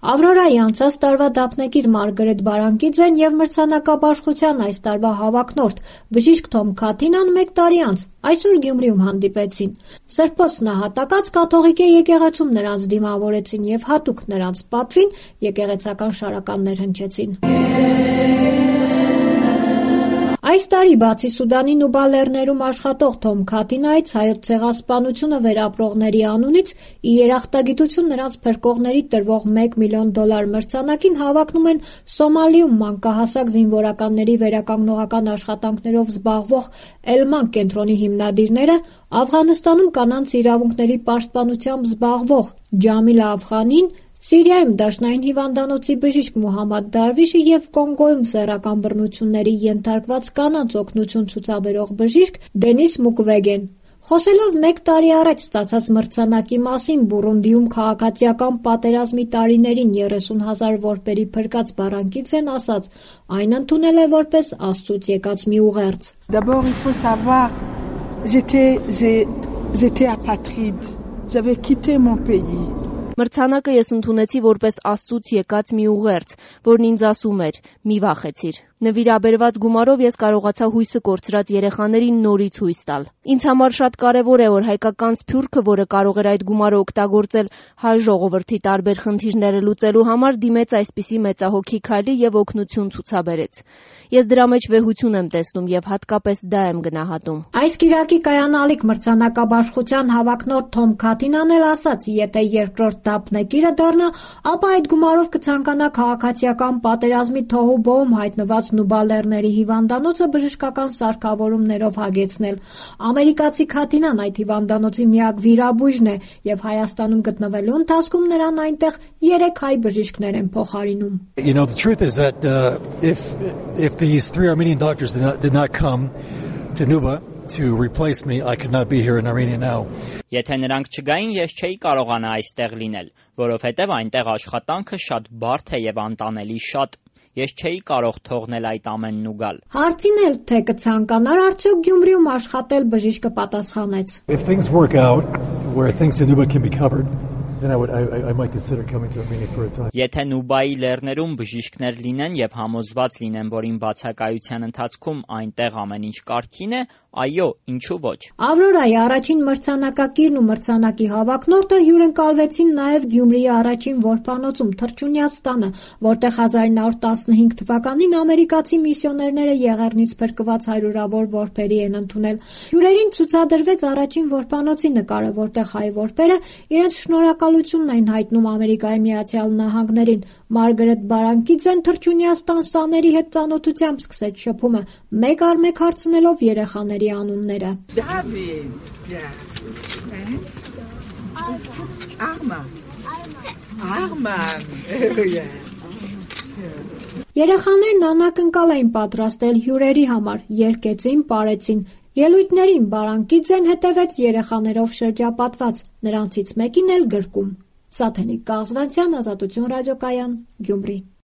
Ավրորայի անցած տարվա դափնեկիր Մարգարետ Բարանկիձեն և մրցանակաբաշխության այս տարվա հավակնորդ բժիշկ Թոմ Քաթինան 1 տարի անց այսօր Գյումրիում հանդիպեցին։ Սրբոց նահատակած կաթողիկե եկեղեցում նրանց դիմավորեցին և հատուկ նրանց պատվին եկեղեցական շարականներ հնչեցին։ Այս տարի բացի Սուդանին ու Բալեռներում աշխատող Թոմ Քաթինայից Հայոց ցեղասպանությունը վերապրողների անունից ի երախտագիտություն նրանց փրկողների տրվող $1 միլիոն մրցանակին հավակնում են Սոմալիում մանկահասակ զինվորականների վերականգնողական աշխատանքներով զբաղվող Էլման կենտրոնի հիմնադիրները, Աֆղանստանում կանանց իրավունքների պաշտպանությամբ զբաղվող Ջամիլա Աֆղանին, Սիրիայում դաշնային հիվանդանոցի բժիշկ Մուհամմադ Դարվիշը և Կոնգոյում սեռական բռնությունների ենթարկված կանանց օգնություն ցուցաբերող բժիշկ Դենիս Մուկվեգեն։ Խոսելով 1 տարի առաջ ստացած մրցանակի մասին Բուրունդիում քաղաքացիական պատերազմի տարիներին 30,000 որբերի փրկած Բարանկիձեն ասաց, այն ընդունել է որպես Աստծուց եկած մի ուղերձ։ D'abord il faut savoir j'étais apatride. J'avais quitté mon pays. Մրցանակը ես ընդունեցի որպես Աստծուց եկած մի ուղերձ, որն ինձ ասում էր՝ մի վախեցիր։ Նվիրաբերված գումարով ես կարողացա հույսը կորցրած երեխաներին նորից հույս տալ։ Ինձ համար շատ կարևոր է, որ հայկական սփյուռքը, որը կարող էր այդ գումարը օգտագործել հայ ժողովրդի տարբեր խնդիրները լուծելու համար, դիմեց այսպիսի մեծահոգի քայլի և օգնություն ցուցաբերեց։ Ես դրա մեջ վեհություն եմ տեսնում և հատկապես դա եմ գնահատում։ Այս կիրակի կայանալիք մրցանակաբաշխության հավակնորդ Թոմ Քաթինան էլ ասաց, եթե երկրորդ դափնեկիրը դառնա, ապա այդ գումարով կցանկանա քաղաքացիական պատերազմի թոհուբոհում հայտնված Նուբալեռների հիվանդանոցը բժշկական սարքավորումներով հագեցնել։ Ամերիկացի Քաթինան այդ հիվանդանոցի միակ վիրաբույժն է և Հայաստանում գտնվելու ընթացքում նրան այնտեղ 3 հայ բժիշկներ են փոխարինում։ The truth is that if these 3 Armenian doctors did not come to Nuba to replace me, I could not be here in Armenia now. Եթե նրանք չգային, ես չէի կարողանա այստեղ լինել, որովհետև այնտեղ աշխատանքը շատ բարդ է եւ անտանելի շատ։ Ես չէի կարող թողնել այդ ամենն ու գալ։ Հարցին էլ թե կցանկանար արդյոք Գյումրիում աշխատել, բժիշկը պատասխանեց. If things work out where things in Nuba can be covered, then I might consider coming to Armenia for a time. Եթե Նուբայի լեռներում բժիշկներ լինեն եւ համոզված լինեն, որ իմ բացակայության ընթացքում այնտեղ ամեն ինչ կարգին է, այո, ինչու ոչ։ Ավրորայի առաջին մրցանակակիրն ու մրցանակի հավակնորդը հյուրընկալվեցին նաև Գյումրիի առաջին որբանոցում Թռչունյաց տանը, որտեղ 1915 թվականին ամերիկացի միսիոներները եղեռնից փրկված հարյուրավոր որբերի են ընդունել։ Հյուրերին ցուցադրվեց առաջին որբանոցի նկարը, որտեղ հայ որբերը իրենց շնորհակալությունն էին հայտնում Ամերիկայի Միացյալ Նահանգներին։ Մարգարետ Բարանկիձեն Թռչունյաց տան սաների հետ ծանոթությամբ սկսեց շփումը, մեկ առ մեկ հարցնելով երեխաների անունները։ Երեխաներն անակնկալ էին պատրաստել հյուրերի համար, երգեցին, պարեցին։ Ելույթներին Բարանկիձեն հետևեց երեխաներով շրջապատված, նրանցից մեկին էլ գրկում։ Սաթենիկ Կաղզվանցյան, Ազատություն ռադիոկայան, Գյումրի։